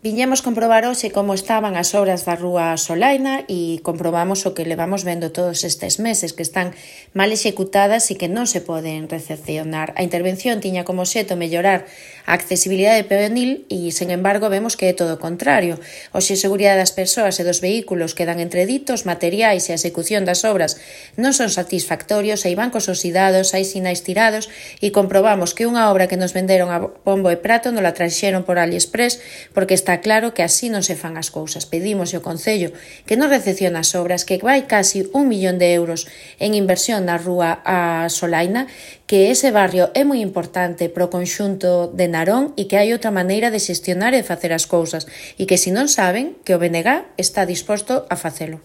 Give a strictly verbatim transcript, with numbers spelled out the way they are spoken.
Viñemos comprobar hoxe como estaban as obras da Rúa Solaina e comprobamos o que levamos vendo todos estes meses, que están mal executadas e que non se poden recepcionar. A intervención tiña como xeto mellorar a accesibilidade peonil e, sen embargo, vemos que é todo o contrario. Hoxe a seguridade das persoas e dos vehículos quedan entreditos, materiais e a execución das obras non son satisfactorios, hai bancos oxidados, hai sinais tirados e comprobamos que unha obra que nos venderon a bombo e prato non la traxeron por AliExpress porque está claro que así non se fan as cousas. Pedimos ao Concello que non recepciona as obras, que vai casi un millón de euros en inversión na Rúa a Solaina, que ese barrio é moi importante pro conxunto de Narón e que hai outra maneira de xestionar e facer as cousas e que se non saben que o B N G está disposto a facelo.